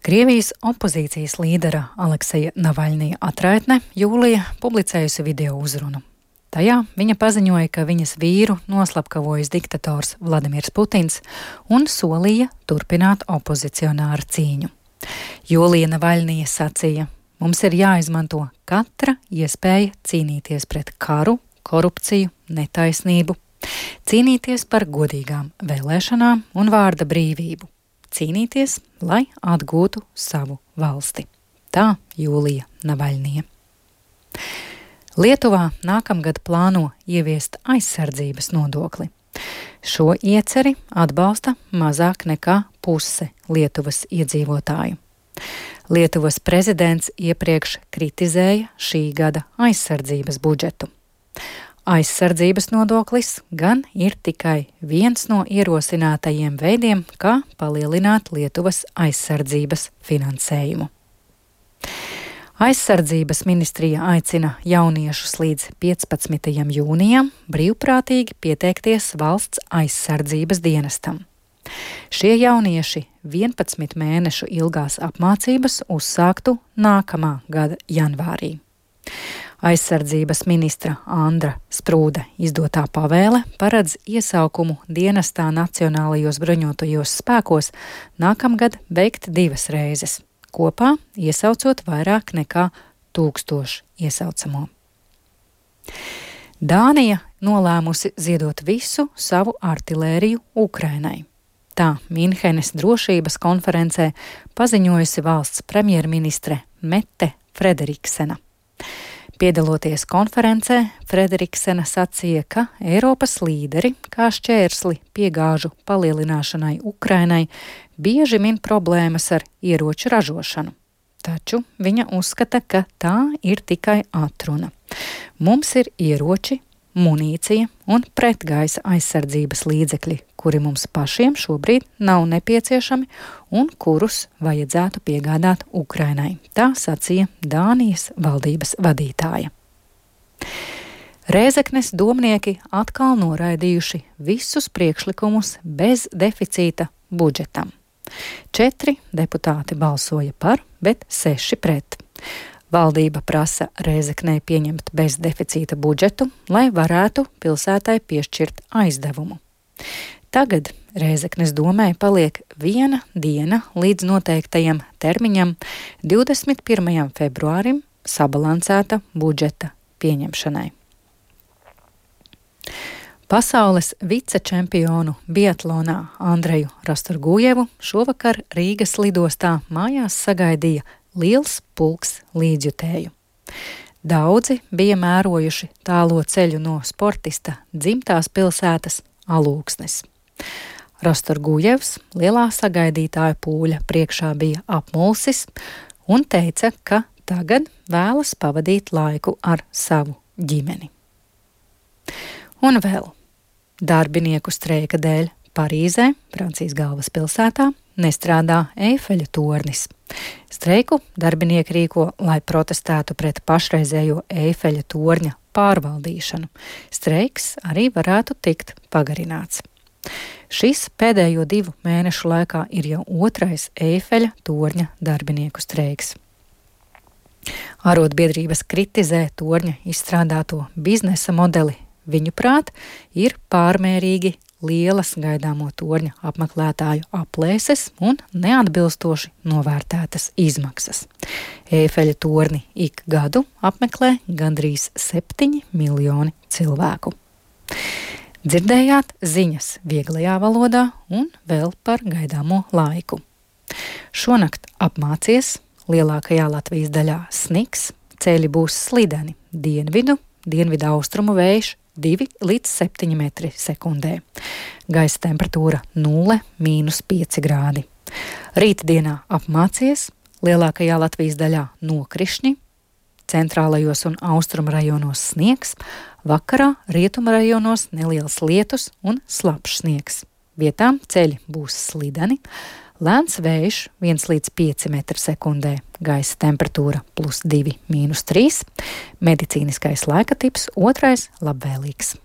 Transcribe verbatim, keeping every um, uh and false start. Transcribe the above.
Krievijas opozīcijas līdera Alekseja Navaļnija atraitne jūlija publicējusi video uzrunu. Tajā viņa paziņoja, ka viņas vīru noslapkavojis diktators Vladimirs Putins un solīja turpināt opozicionāra cīņu. Jūlija Navaļnija sacīja: "Mums ir jāizmanto katra iespēja cīnīties pret karu, korupciju, netaisnību, cīnīties par godīgām vēlēšanām un vārda brīvību. Cīnīties, lai atgūtu savu valsti." Tā Jūlija Navaļnija. Lietuvā nākamgad plāno ieviest aizsardzības nodokli. Šo ieceri atbalsta mazāk nekā puse Lietuvas iedzīvotāju. Lietuvas prezidents iepriekš kritizēja šī gada aizsardzības budžetu. Aizsardzības nodoklis gan ir tikai viens no ierosinātajiem veidiem, kā palielināt Lietuvas aizsardzības finansējumu. Aizsardzības ministrija aicina jauniešus līdz piecpadsmitajam jūnijam brīvprātīgi pieteikties valsts aizsardzības dienestam. Šie jaunieši vienpadsmit mēnešu ilgās apmācības uzsāktu nākamā gada janvārī. Aizsardzības ministra Andra Sprūde izdotā pavēle paredz iesaukumu dienestā Nacionālajos bruņotajos spēkos nākamgad veikt divas reizes, kopā iesaucot vairāk nekā tūkstošu iesaucamo. Dānija nolēmusi ziedot visu savu artilēriju Ukrainai. Tā Minhenes drošības konferencē paziņojusi valsts premjerministre Mette Frederiksena. Piedaloties konferencē, Frederiksena sacīja, ka Eiropas līderi kā šķērsli piegāžu palielināšanai Ukrainai bieži min problēmas ar ieroču ražošanu. Taču viņa uzskata, ka tā ir tikai atruna. Mums ir ieroči, munīcija un pretgaisa aizsardzības līdzekļi, kuri mums pašiem šobrīd nav nepieciešami un kurus vajadzētu piegādāt Ukrainai. Tā sacīja Dānijas valdības vadītāja. Rēzeknes domnieki atkal noraidījuši visus priekšlikumus bez deficīta budžetam. Četri deputāti balsoja par, bet seši pret. Valdība prasa Rēzeknei pieņemt bezdeficīta budžetu, lai varētu pilsētai piešķirt aizdevumu. Tagad Rēzeknes domai paliek viena diena līdz noteiktajam termiņam divdesmit pirmajam februārim sabalansēta budžeta pieņemšanai. Pasaules vicečempionu biatlonā Andreju Rastorgujevu šovakar Rīgas lidostā mājās sagaidīja liels pulks līdzjutēju. Daudzi bija mērojuši tālo ceļu no sportista dzimtās pilsētas Alūksnes. Rastorgujevs lielā sagaidītāja pūļa priekšā bija apmulsis un teica, ka tagad vēlas pavadīt laiku ar savu ģimeni. Un vēl darbinieku streika dēļ Parīzē, Francijas galvaspilsētā, nestrādā Eifeļa tornis. Streiku darbinieki rīko, lai protestētu pret pašreizējo Eifeļa torņa pārvaldīšanu. Streiks arī varētu tikt pagarināts. Šis pēdējo divu mēnešu laikā ir jau otrais Eifeļa torņa darbinieku streiks. Arotbiedrības kritizē torņa izstrādāto biznesa modeli. Viņuprāt, ir pārmērīgi lielas gaidāmo torņa apmeklētāju aplēses un neatbilstoši novērtētas izmaksas. Eifeļa torni ik gadu apmeklē gandrīz septiņi miljoni cilvēku. Dzirdējāt ziņas vieglajā valodā un vēl par gaidāmo laiku. Šonakt apmācies, lielākajā Latvijas daļā sniks, ceļi būs slideni, dienvidu, dienvidu austrumu vējš divi līdz septiņi metri sekundē. Gaisa temperatūra nulle mīnus pieci grādi. Rītdienā apmācies, lielākajā Latvijas daļā nokrišņi, centrālajos un austrumu rajonos sniegs, vakarā rietumu rajonos neliels lietus un slapjš sniegs. Vietām ceļi būs slideni, lēns vējš viens līdz pieci metri sekundē, gaisa temperatūra plus divi mīnus trīs, medicīniskais laika tips otrais labvēlīgs.